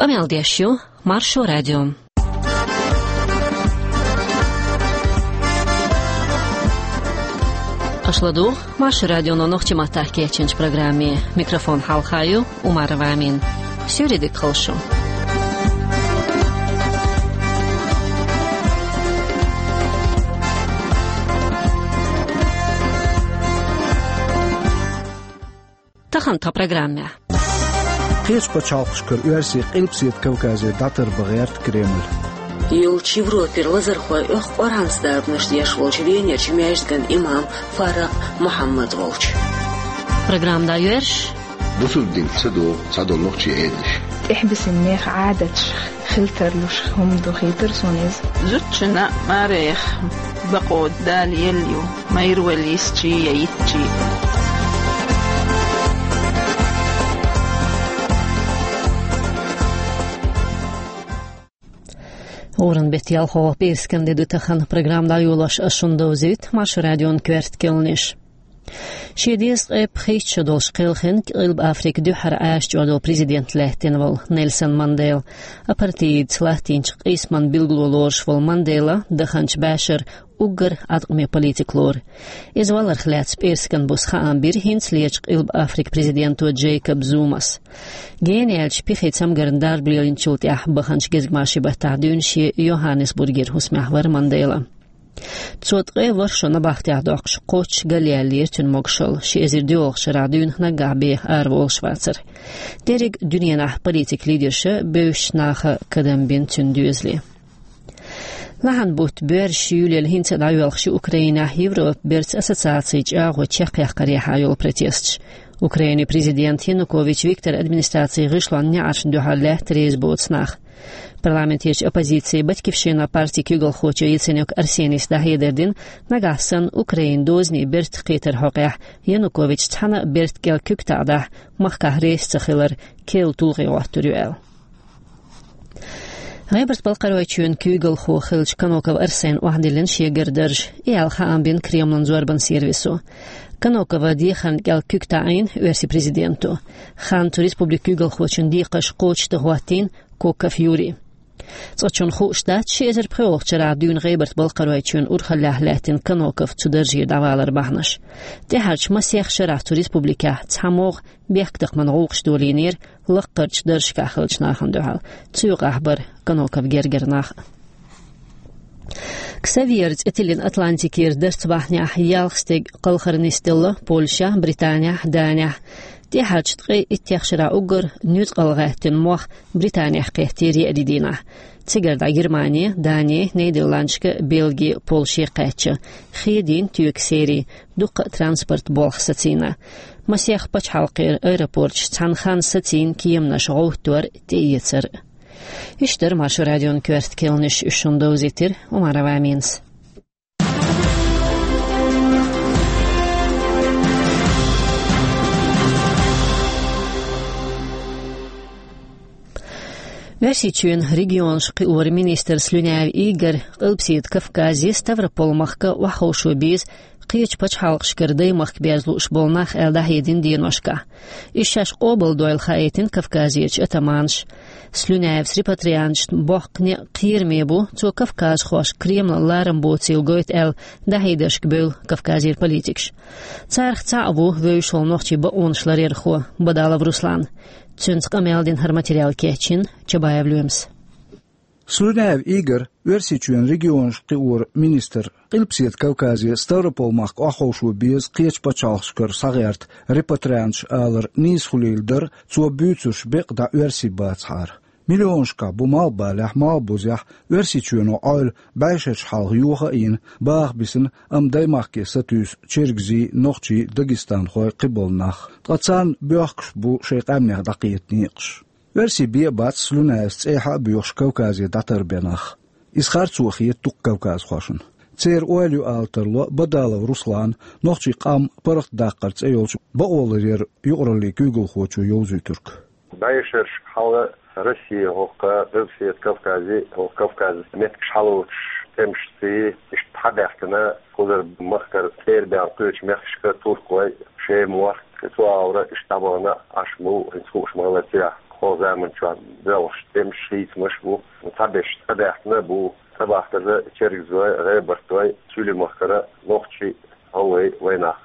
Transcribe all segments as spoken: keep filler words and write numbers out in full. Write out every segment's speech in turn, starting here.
Къамел деш ю Маршо радио. Аша ладугӀу Маршо радионо нохчийн маттахь кечйинчу программе. Микрофон хьалха ю Умарова Амина. Суьйре дика хуьлда шу. Тахана тхан программехь. Кхечу пачхьалкхашкара оьрсий Къилбаседа Кавказе дӀатарбан гӀерта Кремль. Йолчу Европера лазархой оьху Къуръанца дарбанаш деш волчу Венерчу маьждиган имам Фарракъ Мухьаммад волчу. Программа дӀайоьрзуш. Бусулба динца ца догӀу цхьадолу нохчийн Ӏедалш. ТӀехь бисина нехан Ӏадаташ хила тарлуш хӀума ду, хийтира суна иза. Зудчунна а, марех а бакъо Дала елла ю, майра вала йисчий я йитчий. ГӀуран беттан ялхолгӀа пӀераскан де ду тахана. Программа дӀайолош ас шуна довзуьйту Маршо радион коьрта керланаш. Шен дезткъе пхийтта шо долуш кхелхина Къилба Африка дуьххьара Ӏаьржа чӀогӀа долу президент лаьттина волу Нельсон Мандела. Апартеидца латтийначу къийсаман билгало лоруш волу Мандела даханчу бӀешара уггар Ӏаткъаме политик лору. Иза валарх лаьцна пӀераскан буса хаам бира хӀинцалерчу Къилба Африка президенто Джейкоб Зумас. Гена яьлча пихи цамгарна дарба лелийначул тӀаьхьа баханчу гезгмашин баттахь дуьйна шен Йоханнесбургера хӀусамехь вара Мандела. Цо ткъе ворхӀ шо набахтехь доккхуш, кхоччуш галъяьллера цуьнан могушалла, ши эзар доьалгӀачу шарахь дуьйна наггахь беха араволуш вацара. Дерриг дуьненахь политикан лидерша, бевзачу наха кадам бина цуьнан доьзале. Лахьан бутт боьрзуш юьйлаелла хӀинца а дӀайоьлхуш ю Украинехь Европан бертан ассоциацин чӀагӀо чекхъяккхарехьа йолу протесташ. Украинан президент Янукович Виктор администрацин гӀишлонна неӀаршна дуьхьал лаьтта реза боцу нах. Парламентерчу оппозицин «Батькивщина» партин куьйгалхочо Яценюк Арсенис дӀахьедар дина, нагахь санна Украинан дозанийн бертан кхетар хьокъехь Янукович цхьана а бертан кӀел куьг таӀадахь, махкахь реза ца хилар керла тулгӀе хӀоттор ю аьлла. ГӀебарта-Балкхаройчоьнан куьйгалхо хиллачу Каноков Арсена охьадиллина шегара дарж, и аьлла хаам бина Кремлан зорбанан сервисо. Канокова дехарна кӀел куьг таӀийна оьрсийн президенто. Хан цу республикан куьйгалхочун декхарш кхочушдан хӀоттийна Коков Юрий. Цкъачунна хууш дац ши эзар пхоьалгӀачу шарахь дуьйна ГӀебарта-Балкхаройчоьнан урхаллехь лаьттина Каноков цу даржера дӀаваларан бахьанаш. ТӀаьхьарчу масех шарахь цу республикехь цхьамогӀа бехктакхаман гӀуллакхаш долийнера лаккхарчу даржашкахь хиллачу нахана дуьхьал. Цу юкъахь бара Каноков гергара нах а. Ксавьер цӀе тиллина Атлантикера дарц бахьанехь ялх стеган кхалхар нисделла Польшехь, Британехь, Данехь. ТӀаьхьарчу ткъе иттех шарахь уггар нуьцкъала гӀаьттина мох Британехь кхеттера еарин дийнахь. Цигара дӀа Германе, Дане, Нидерландашка, Бельге, Польше кхаьчна. Хедийна тоька серий, дуккха а транспорт болх сацийна. Масех пачхьалкхера аэропорташ цхьана ханна сацийна кеманаш гӀовттор а, тӀеэцар а. Иштта дара Маршо радион коьрта керланаш, уьш шуна довзийтира Умарова Аминас. Оьрсийчоьнан регионаш кхиоран министр Слюнявый Игорь Къилбаседа Кавказе, Ставрополь-махка охьаховшо беза кхечу пачхьалкхашкара даймахка берза лууш болу нах аьлла дӀахьедина деношкахь. Иза шаьш къобалдойла хаийтина Кавказерчу атаманаша. Слюнявс репатрианташна боккха некъ кхераме бу, цо кавказхошка Кремлан ларам боцийла гойту аьлла дӀахьедаршка бевлла Кавказера политикаш. Царах цхьаъ ву вевзаш волу нохчийн бакъонаш ларъярхо Бадалов Руслан. Цуьнца къамел дина, хӀара материал кечйина Чабаев Лоьмас. Слюнявый Игорь, Оьрсийчоьнан регионаш кхиоран министр, Къилбаседа Кавказе, Ставрополь-махка охьаховшо беза кхечу пачхьалкхашкара схьагӀерта репатрианташ алар нийса хуьлийла дара, цо буьйцурш бекъа дӀа оьрсий бацахьара. Миллионашкахь бу малхбалехь, малхбузехь, Оьрсийчоьно Ӏойла бӀешераш хьалха йоха а йина, баха бисина, амма даймахке сатуьйсу чергазий, нохчий, дагестанхой, кхиболу нах. Ткъа царна боьхкуш бу шайн къаьмнех дӀакхета некъаш. Оьрсий бен а бац Слюнявс цӀехьа а боьхуш Кавказе дӀатарбен нах. Иза харцо хета дуккха кавказхошна. Церан ойла ю ала тарло Бадалов Руслана, нохчийн къам паргӀатдаккхар цӀе йолчу бакъоларъяран юкъараллин куьйгалхочо йовзуьйтург. БӀешераш хьалха Россия хӀокху Къилбаседа Кавказе, хӀокху Кавказан меттигаш хьалоцуш, тӀемашций, иштта хьабаьхкина, кхузара махкара цӀера баьлла кхечу мехкашка туркхой, шемахь, цу агӀора иштта дӀабахана Ӏаш бу, хӀинца хууш ма-хиллара, цигахь. Оха заман чохь боьлхуш тӀемаш, хийцамаш бу, цхьаберш цӀа баьхкина бу, цӀа бахкарза чергазой, гӀебартдой, Суьлий-Махкара нохчий, гӀалгӀай вайнах.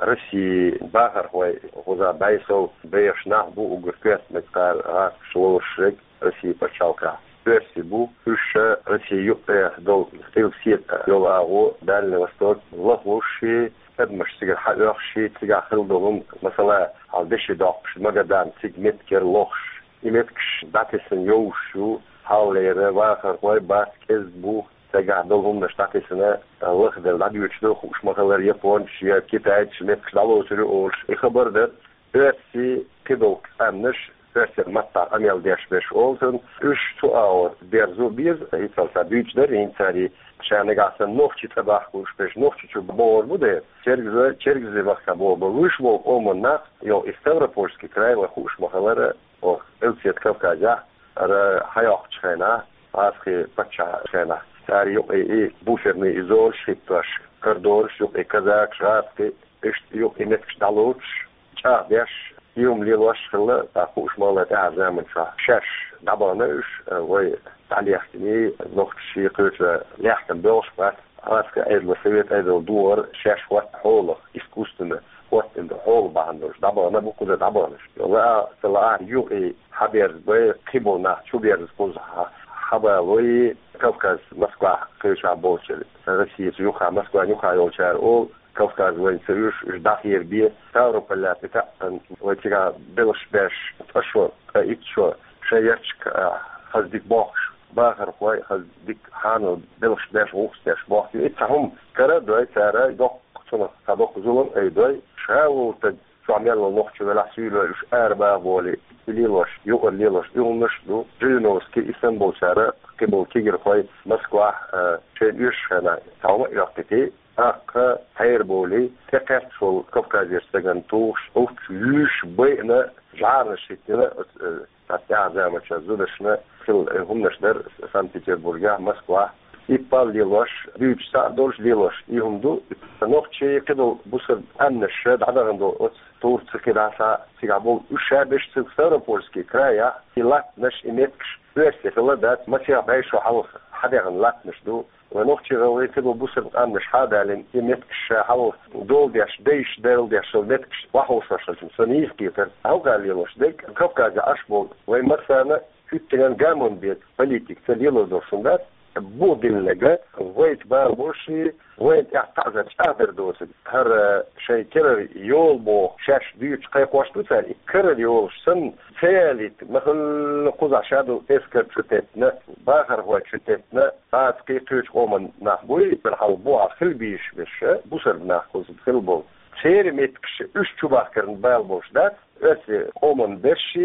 Росси бахархой, кхузахь бӀе сов бехаш нах бу, уггар коьртаниг кхара гӀазкхаша лоруш ерг Росси пачхьалкхехь. Оьрсий бу, уьш ша Росси юккъе долу къилбаседа йолу агӀо, Дальний Восток, лахлуш и, адамаш цигара хьаоьхуш и, цигахь хилла долу хӀума, масала, хьал деши доккхуш, Магадан, цига меттигера лохуш. И меттигаш дӀатесна йовш ю, хьаллера вахархой бац, кӀезиг бу, цигахь долу хӀуманаш дӀатесна, лахделла дӀадоьдуш ду, хууш ма-хиллара, японцаш я китайцаш меттигаш дӀалоцур ю олуш, и хабар дара. Оьрсий кхидолу къаьмнаш, оьрсийн маттахь къамел деш берш олу цунна, уьш цу агӀор берзо беза, хӀинццалц дуьйцуш дара, хӀинца цара ша нагахь санна нохчий цӀа бахка луш берш, нохчий чу богӀур бу дера, чергаза, чергазий махка богӀур бу, вуьш волу къоман нах, йо, и Ставропольский край вай хууш ма-хиллара, оха Къилбаседа Кавказехь, ара хьайоккхучу хенахь, гӀазкхийн паччахьан хенахь, цара юкъе и буферный и зонаш хӀиттош, кордонаш юкъе казакаш, гӀазкхий, иштта юкъе меттигаш дӀалоцуш, чӀагӀдеш, и хӀума лелош хилла, тӀаккха хууш ма-хиллара тӀаьхьара заман чохь шаьш дӀабахана уьш, вай дӀалехкиний, нохчий кхечу лаьхкина боьлхуш бац, гӀазкхийн Ӏедало, совет Ӏедало дохар шаьш хӀотта хьолах, искусственно хӀоттийна хьола бахьана долуш, дӀабахана бу кхуза дӀабаханаш. Лаа ца лаахь юкъе хьаберзабай, кхиболу нах чуберза кхузахь хьабалой, Кавказ, Москвахь кхечохь болчара, Россица юххе, Москван юххе йолчара олу, Кавказ вайна ца уьш, уьш дӀахерабе, Ставрополь тӀе таьӀна, вай цигахь белхаш беш, ткъа шо, ткъа итт шо, шайн ярташка, а, хаза дика бохкуш, бахархой, хаза дика хьанал белхаш беш, гӀуллакхаш деш бохку. И цхьа хӀума кара а дой цара, доккха цунах, цхьа доккха зулам а дой, ша волу стаг, чохь мел волу нохчо велахь, суьйлой уьш арабаха болий, и лелош, юкъара лелош, и хӀуманаш а ду, Жириновский, и санна болчара, кхиболу кегийрхой Москвахь, а, шайна оьшуш хенахь, цхьа хӀума а йоккхуьйтий, тӀаккха хьераболий, тӀе кхетташ волу Кавказера стагана тухуш, уьш юьйш, байина, жӀарнаш хӀиттина, оцу, э, цхьа тӀаьхьа заманчохь зударшна хилла, э, хӀуманаш дара Санкт-Петербургехь, Москвахь. И пал лелош, дуьйцуш цхьаъ долуш лелош, и хӀума ду, нохчий, кхидолу бусалба къаьмнаш дӀадахана долу оцу Турци, кхидӀа цхьа цигахь болу, уьш ша берш цига Ставропольский крайехь, и латтанаш, и меттигаш оьрсийн хилла дац, масех бӀе шо хьалха хьадаьхна латтанаш ду. Вай нохчий, гӀалгӀай, кхидолу бусалба къаьмнаш хьадалийна, и меттигаш ша хьалха дола деш, дайша, дерла деш йолу меттигаш охьаховшош хилча, сан нийса кхетар. Хьалха лелош дерг, Кавказехь Ӏаш болу вай массарна хӀуьттинан гамон бен политика ца лело долуш хӀума дац, бух диллинарг, вайца бала болуш и, вайна тӀехь таӀзар, чӀагӀдар доцург. ХӀара шайн керара йола боху, шаьш дуьйцуш кхайкхош ду цара, и керара йолуш санна, ца ялийта, ма-хиллара кхузахь ша долу эскар чу теттина, бахархой чу теттина, гӀазкхий, кхечу къоман нах буй, хьал бухахь хила безаш берш, бусалба нах кхузахь хила болу. Церан меттигаш уьш чубахкарна бала болуш дац, оьрсийн къоман берш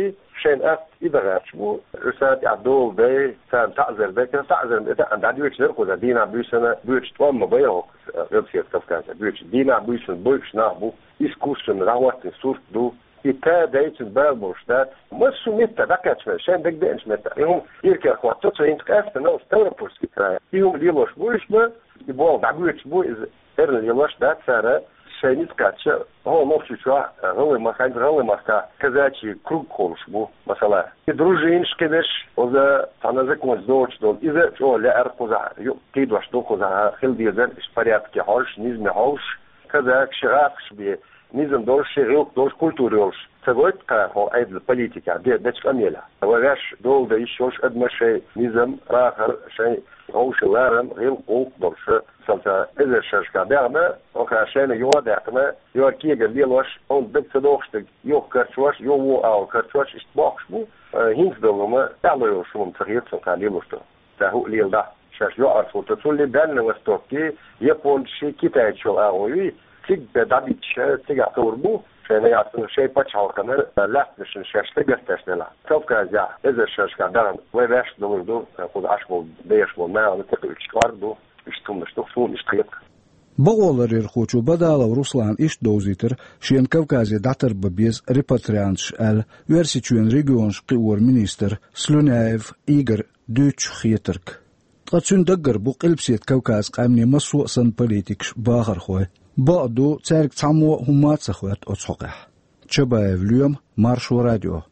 шайна атта и дан гӀерташ бу, уьш царна тӀехь дола дай, царна таӀзар дай, царна таӀзар ма дан, дӀадоьдуш дара кхузахь, дийнахь-буьйсанна боьдуш тӀом ма бай хӀокху Къилбаседа Кавказехь боьдуш. Дийнахь-буьйсанна бойуш нах бу, искусственно дӀахӀоттийна сурт ду, и тай-дай цуьнан бала болуш дац. Массо а метта дӀакхаьчна, шайна дагадеанчу метта. И хӀума иракарахӀотто цо хӀинца къаьстина, Ставропольский край. И хӀума лелош бу уьш ма, и болх дӀабоьдуш бу иза. Эрна лелош дац цара, шайн ницкъ кхаьчча, хӀокху Нохчийчохь, гӀалгӀай махкахь, гӀалгӀай махкахь казачий круг кхолуш бу, масала. И дружинаш кхидерш, оза цхьана законца доцуш долу, иза а чӀогӀа лаьара кхузахь, юкъ кхийдош ду кхузахь, хила дезара, иштта порядке хьожуш, низаме хьовсуш, казакаш, гӀазкхаш бен, низам долуш, шен гӀиллакх долуш, культура йолуш. Ца гойту кхара хӀокху Ӏедалан политикехь де-, дечу къамелехь. Вай ваьш дола дан йиш йолуш адамаш шайн низам, бахар, шайн вовшийн ларам, гӀиллакх, гӀуллакх долуш, цалца эзар шерашкахь даьхна, оха шайна юха а даьккхина, йо кегар лелош, хьуна дага ца догӀуш дерг юха карчош, йо вон агӀо карчош, иштта бохкуш бу, э, хӀинца долу хӀума тӀаьхьало йолуш хӀума ца хета суна кхара лелош ду. Ца хӀуъа леладахь, шаьш йоӀарца хӀутту, цулли Дальний Востоккий, японцаший, китайцаш йолу агӀо юй, цига дӀабитча, цигахь хуур бу, шайн яцара, шайн пачхьалкхана лаьттанашна шаьш дагахь тешна делахь. Кавказехь эзар шерашкахь дахана, вай ваьш долур ду, кхуза Ӏаш болу, бехаш болу нахана тӀекхуьучу кӀорга ду, иштта хӀуманаш ду, суна иштта хета. Бакъоларъярхочо Бадалов Руслана иштта довзийтира шена Кавказе дӀатарбан беза репатрианташ аьлла, Оьрсийчоьнан регионаш кхиоран министр Слюняев Игорь дуьйцучу хетарг. Ткъа цуьнан даггара бу Къилбаседа Кавказан къаьмнийн массо а санна политикаш, бахархой. Бакъду, цаьрга цхьаммо а хӀумма а ца хоьтту оцу хьокъехь. Чабаев Лоьма, Маршо радио.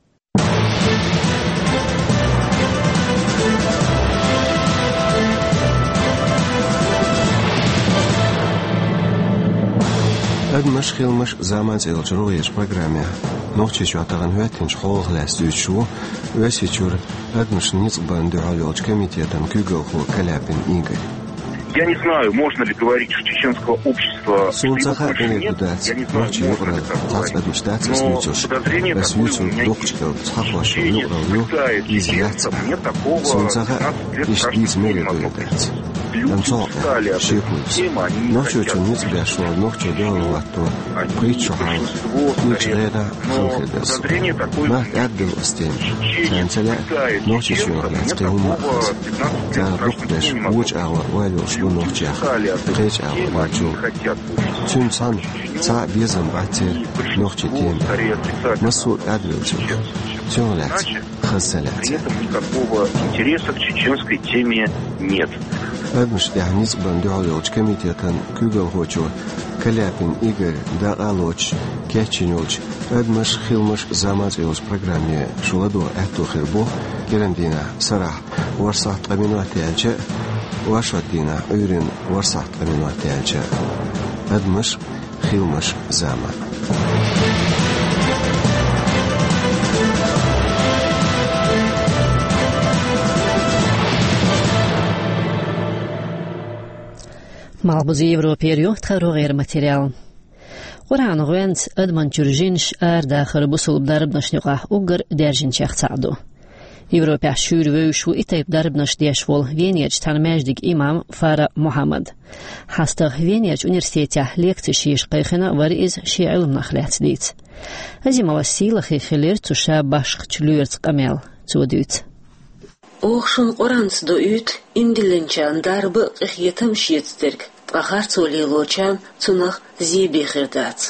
«Адамаш, хиламаш, зама» цӀе йолчу рогӀерчу программехь Нохчийчохь тахана хӀоьттинчу хьолах лаьцна дуьйцуш ву Оьрсийчуьра адамашна ницкъ барна дуьхьал йолчу комитетан куьйгалхо Каляпин Игорь. Я не знаю, можно ли говорить, что чеченского общества... Суна ца хаьа, къинхетам ду дац, нохчийн юкъаралла цхьацца адамаш дац ас дуьйцуш. Ас юьйцург доккхачу кӀелга цхьа хӀош йолу юкъаралла ю, иза яц аьлла. Суна ца хаьа, иштта дийца мегар ду я дац. Амма цу хьокъехь шеко ю сан. Нохчочунна ницкъ беш волу нохчо дуьхьал хӀотто пхийтта шо хьалха, кхечу гӀерахь хала хир дара сан. Нах кӀадбелла оцу темах. Царна ца лаьа Нохчийчоьнах лаьцна кхин хӀумма а хаза. Царах дукхахберш вочу агӀор ойла йолуш бу нохчех кхечу агӀор йолчул. Цуьнан цхьаьна цхьа а безам бац церан нохчийн темах. Массо а кӀадвелла ю. Цунах лаьцна хаза ца лаьа церан. При этом никакого интереса к чеченской теме нет. Адамашна тӀехь ницкъ барна дуьхьал йолчу комитетан куьйгалхочо Каляпин Игорь дакъа а лоцуш кечйина йолчу «Адамаш, хиламаш, зама» цӀе йолчу программе шу ладогӀа аьтто хир бу кху дийнахь сарахь ворхӀ сахьт ткъа минот яьлча а, оршот дийнахь Ӏуьйранна ворхӀ сахьт ткъа минот яьлча а. «Адамаш, хиламаш, зама». Малхбузера Европера ю тхан рогӀера материал. Къуръан гӀоьнца адаман чуьра жинаш арадахар бусалба дарбанашна юкъахь уггар даьржинчех цхьаъ ду. Европехь шуьйра вевзаш ву и тайпа дарбанаш деш волу Венерчу цхьана маьждиган имам Фаракъ Мухьаммад. ХьастагӀа Венерчу университетехь лекцеш еш кхайкхина вара иза шен Ӏилманах лаьцна дийца. Азимова сийлахь хилира цу ша башхачу лоьрца къамел, цо дуьйцу. Оха шуна Къуръанца доуьйту, ийман диллинчарна дарба а, къинхетам а шеца дерг, ткъа харцо лелочарна цунах зен хир дац.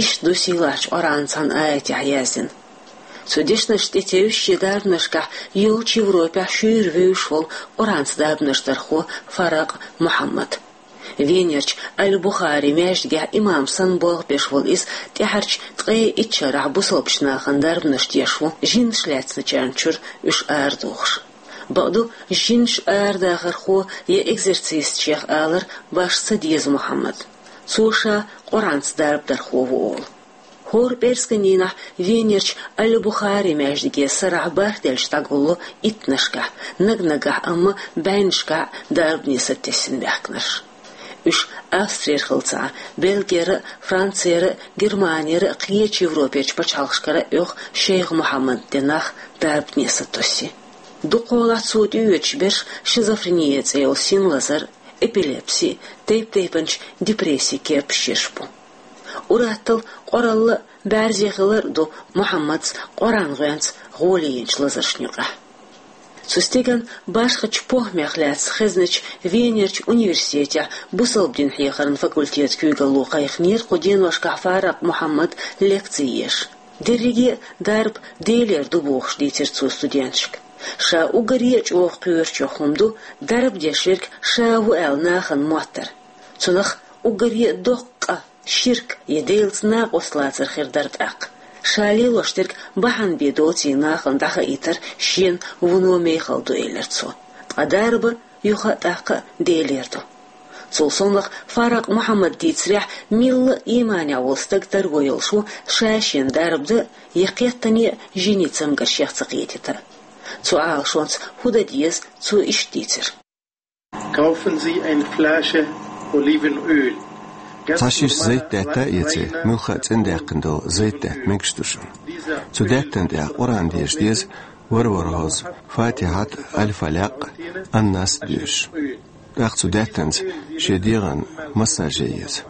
Иштта ду сийлахьчу Къуръанан цхьана аятехь яздина. Цу дешнашна тӀетевжаш шен дарбанашкахь йолчу Европехь шуьйра вевзаш волу Къуръанца дарбанаш дархо Фаракъ Мухьаммад. Венерчу Аль-Бухари маьждигехь имам санна болх беш волу иза тӀаьхьарчу ткъе итт шарахь бусалбачу нахана дарбанаш деш ву, жинаш лаьцначарна чуьра уьш арадухуш. Бакъду, жинаш арадахархо я экзорцистех алар башха ца деза Мухьаммадна. Цо ша Къуръанца дарба дархо ву олу. ХӀора пӀераскан дийнахь Венерчу Аль-Бухари маьждиге сарахь бархӀ делча дӀагулло иттанашкахь, наг-нагахь амма бӀеннашкахь дарба нисат тесна баьхкинарш. Уьш Австрера хилла ца Ӏа, Бельгера а, Францера а, Германера а, кхечу Европерчу пачхьалкхашкара а оьху шайх Мухьаммадна де нах дарба нисат тосий. Дукхахьолахь цо тӀеоьцуш берш шизофрени цӀе йолу син лазар, эпилепси, тайп-тайпанчу депресси кепаш ерш бу. Ур-атталла къоралла а, бӀаьрзе хилар а ду Мухьаммадца Къуръан гӀоьнца гӀоле йинчу лазаршна юкъахь. Цу стеган башхачу похӀмех лаьцна хезначу Венерчу университетехь бусалба дин хьехаран факультетан куьйгалло кхайкхинера кху деношкахь Фаракъ Мухьаммад лекци еш. Дерриге а дарба Делера ду бохуш дийцира цо студенташка. Ша уггаре а чӀогӀа кхоьручух хӀума ду дарба деш верг ша ву аьлла нахана моттар. Цунах уггаре а доккха къа ширк я Делаца накъост лацар хир дара тӀаккха. Ша лелош дерг бахьана бен доций нахана дӀахаийтар шена вуно мехала ду, элира цо. Ткъа дарба юха а тӀаккха а Делера ду. Цул совнаха Фаракъ Мухьаммада дийцарехь, милла а ийманехь волу стаг тарго йолуш ву ша шена дарба дан я кхеттане а жинийн цамгаршех ца кхетийта. Цу Ӏалашонца хӀун дан деза, цо иштта дийцира. Kaufen Sie eine Flasche Olivenöl. Цхьа шиша зайт даьтта а эций, муьлхха а цӀена даьккхина долу зайт даьтта мегаш ду шуна. Цу даьттана тӀехь Къуръан дезаш деза, вара-вара хьоза, Фатихьат, Аль-Фалякъ, Ан-Нас доьшуш. ТӀаккха цу даьттанца шен дегӀан массаж ян еза.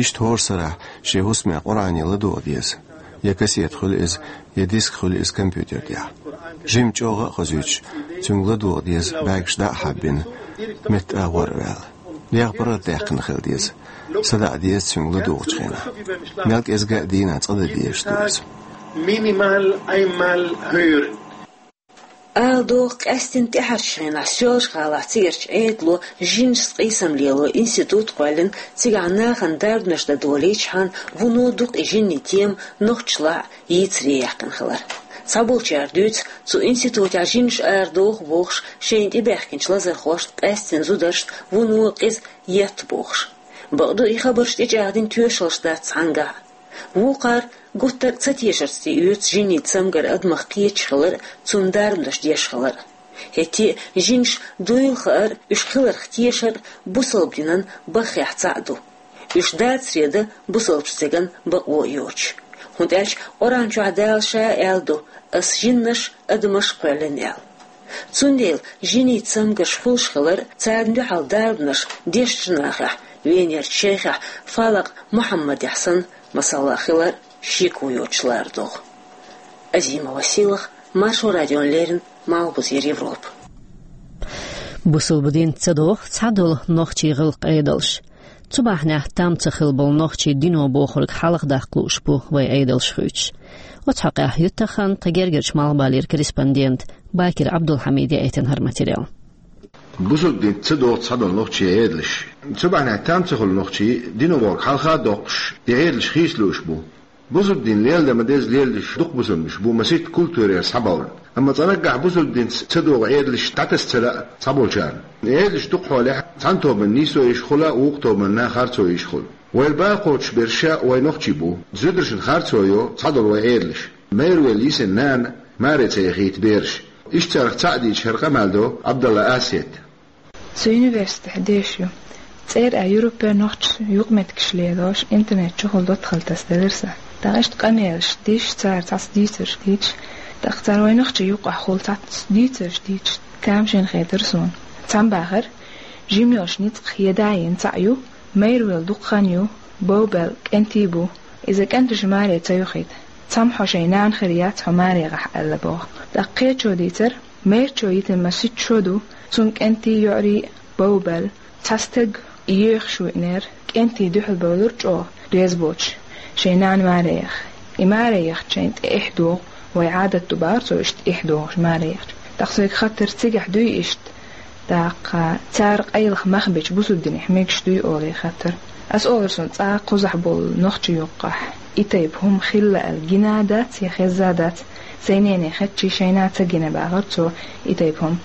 Иштта хӀора сарахь шен хӀусаме Къуръане ладогӀа деза. Я кассета хуьлу иза, я диск хуьлу иза компьютер тӀехь. Жимма чӀогӀа а хозуьйтуш, цуьнга ладогӀа деза бӀаьргаш дӀа а хьаббина, метта агӀор а ваьлла. ДегӀ паргӀатдаьккхина хила деза. СадаӀа деза цуьнга ладугӀучу хенахь. Мел кӀезга а дийнахь цкъа дан дезаш ду иза. Minimal einmal hören. Ала догӀу, къаьстина тӀаьхьарчу хенахь Соьлжа-ГӀалахь цигарчу Ӏедало жинашца къийсам лело институт кхоьллина, цигахь нахана дарбанаш дан долийчхьана, вуно дукха и жинийн тема нохчашлахь а йийцаре яьккхина хилар. Цхьаболчара дуьйцу, цу институтехь жинаш арадоху бохуш, шайна тӀебаьхкинчу лазархошна, къаьстина зударшна вуно къиза етта бохуш. Бакъду, и хабарш тӀечӀагӀдина тоьшаллаш дац цхьаннахьа. Вукхар гуттар а ца тешарца тӀеоьцу жинийн цамгар адамах кхеташ хилар а, цунна дарбанаш деш хилар а. ХӀетте а жинаш дойла хаар а, уьш хиларх тешар а бусалба динан баххехь цхьаъ ду. Уьш дацаре дан бусалбачу цӀеран бакъо а йоцуш. ХӀунда аьлча Къуръан чохь Дала Ша а аьлла ду: «Ас жинаш а, адамаш а кхоьллина», — аьлла. Цундела жинийн цамгарш хуьлуш хилар а, царна дуьхьал дарбанаш дешначу нахехь венерчу шайхехь Фалакъ Мухьаммадехь санна масала хилар а шеко йоцуш лара догӀу. Азима Василах, Маршо радиона леррина, Малхбузера Европа. Бусалба динца ца догӀу цхьадолу нохчийн гӀиллакх-Ӏедалш. Цу бахьанехь там ца хилла болу нохчий дино бохург хьалха даккха лууш бу вайн Ӏедалш хуьйцуш. Оцу хьокъехь юьттахана тхан гергарчу Малхбалера корреспондент Бакир Ӏабдулхьамида яийтина хӀара материал. Бусалба динца ца догӀу цхьадолу нохчийн Ӏедалш. Цу бахьанехь там ца хуьлу нохчий дино бохург хьалха а доккхуш, и Ӏедалш хийца лууш бу. Бусалба дин леладан ма-деззара лелош дукха бусалбанаш бу масийтта культурера схьабовлу. Амма цкъа наггахь бусалба динца ца догӀу Ӏедалш дӀатаса ца лаьа цхьаболчарна. Ӏедалш дукхахьолехь цхьана тобанна нийсо йиш хуьлу, вукху тобанна харцо йиш хуьлу. Вай бакъ кхочуш берш а вай нохчий бу. Зударшна харцо йо цхьадолу вай Ӏедалш. Майра велла йисина нана маре ца яхийта бераш. Иштта царах цхьаъ дийцича хӀара къамел до Ӏабдалла Асет. Со университетехь дешаш ю. ЦӀера а Европера нохчаша юкъаметтигаш лелош, интернет чухула доттагӀалла тасаделира сан. ТӀаккха иштта къамелаш деш, цара цхьацца дийцарш дийцаш, тӀаккха цара вай нохчийн юкъахь хуьлу цхьацца дийцарш дийцаш, тамашийна хетара суна. Цхьамма бахара, жима йолчу ницкъах я да йина цхьаъ ю, майра велла дукха хан ю, бовбелла кӀентий бу. Иза кӀенташа маре ца йохийта. Цхьамма хьо шайн нана хир яц, хьо марехахь аьлла боху. ТӀаккха кхечо дийцара, майрачо йитина масийтта шо ду, цуьнан кӀентий, йоӀарий бовбелла. Цхьа стаг и йоьхуш веанера, кӀентий дуьхьал бевлира чӀогӀа реза боцуш, шайн нана маре яха. И маре яхча шайна тӀе эхь догӀу, вай Ӏадат ду бахара цо иштта эхь догӀуш маре яхча. ТӀаккха соьга хаттар, цигахь дуй иштта? ТӀаккха цара къайлаха мах бечу бусалба динехь мегаш дуй олий хаттар. Ас олура, суна цкъа кхузахь болу нохчийн юккъахь и тайпа хӀума хилла аьлла гина а дац, я хезна а дац. Сайн нене хетча, шайна ца гина бахара цо и тайпа хӀума.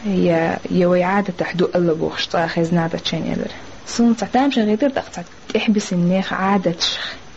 Я, я вай Ӏадатехь ду аьлла бохуш цкъа хезна а дац шайна элира. Суна цхьа тамашийна хетара, тӀаккха цхьа тӀехь бисина нехан Ӏадаташ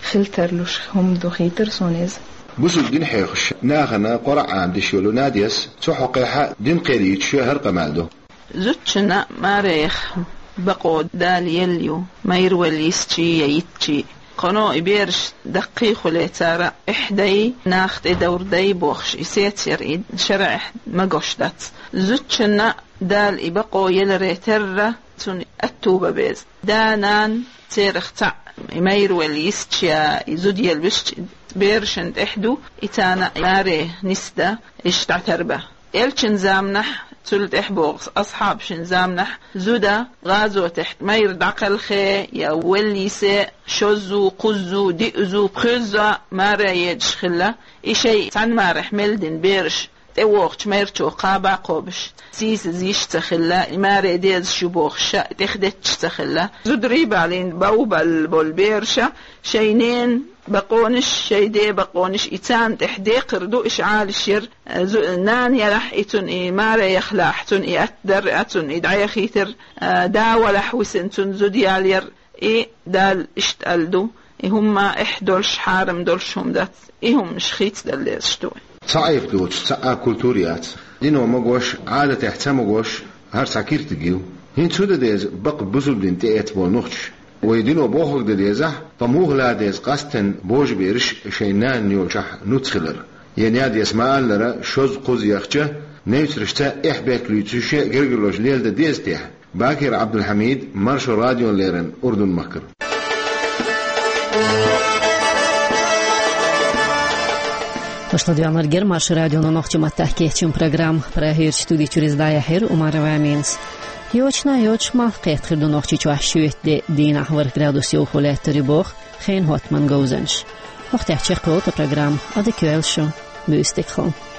хила тарлуш хӀума ду хетара суна иза. Бусалба дин хьоьхуш нахана Къуръан деш йолу Надяс цу хьокъехь дин кхел йийцуш хӀара къамел до. Зудчунна маре яха бакъо Дала елла ю, майра велла йисчи я йитчи. Кхано и бераш даккхий хуьлий, цара эхь дай, нах тӀедовр дай бохуш, и сецар и шарӀехь магош дац. Зудчунна Дала и бакъо еларе терра, цунна аьтту бан беза. Да-нана церах цхьаъ, и майра велла йисча я и зуда елла висча, берашна тӀехь ду, и царна маре нисдан, иштта дӀатарбан. Элчан заманахь, цул тӀехь боху асхьабашна заманахь, зуда гӀазотехь майра дӀакхелхе я велла йисе, шозза, кхузза, диъза, пхоьзза маре едаш хилла, и шайн цхьана марехь мел дина бераш тӀевогӀучу майрачо кхаба а кхобуш, сийсаза йиш ца хилла, и маре дезаш ю бохуш ша тӀехдетташ ца хилла. Зударий балийна бовбалла болу бераша шайн ненан бакъонаш, шайн ден бакъонаш и царна тӀехь декхар ду, иштта Ӏалашъяр, зу-, нана ярахь и цунна и маре яхалахь, цунна и атта дар а, цунна и дӀаяхийтар а, да валахь висина цунна зуда ялаяр, и Дала иштта аьлла ду, и хӀума эхь долуш, хьарам долуш хӀума дац, и хӀуманаш хийцадала дезаш ду. Цхьа Ӏайха доцуш цхьа а культура яц. Дино магош, Ӏадатехь ца магош, хӀара цхьа киртиг ю. ХӀинца хӀун дан деза бакъ бусалба дин тӀеэцна болу нохчаша? Вай дино бохург дан дезахь, ткъа муха лан деза къастина божабераш шайн нана йолчохь нуц хилар? Я Надяс ма-аллара, шозза-кхузза яхча, невцаршца эхь-бехк луьйцуш гергарлоша леладан деза техьа? Бакир Ӏабдулхьамид, Маршо радиона леррина, Урдун-махкара. Аша ладоьгӀнарг яра Маршо радион нохчийн маттахь кечйина программа. Прагерчу студи чуьра иза дӀаяьхьира Умарова Аминас. Йочана йоцуш малх кхетта хир ду Нохчийчохь шоьтан де дийнахь ворхӀ градус йовхо лаьттар ю боху хенан хӀоттаман говзанчаша. ХӀокху тӀехь чекхйолу тхан программа. Ӏадика йойла шун, буьйса дика хуьлда.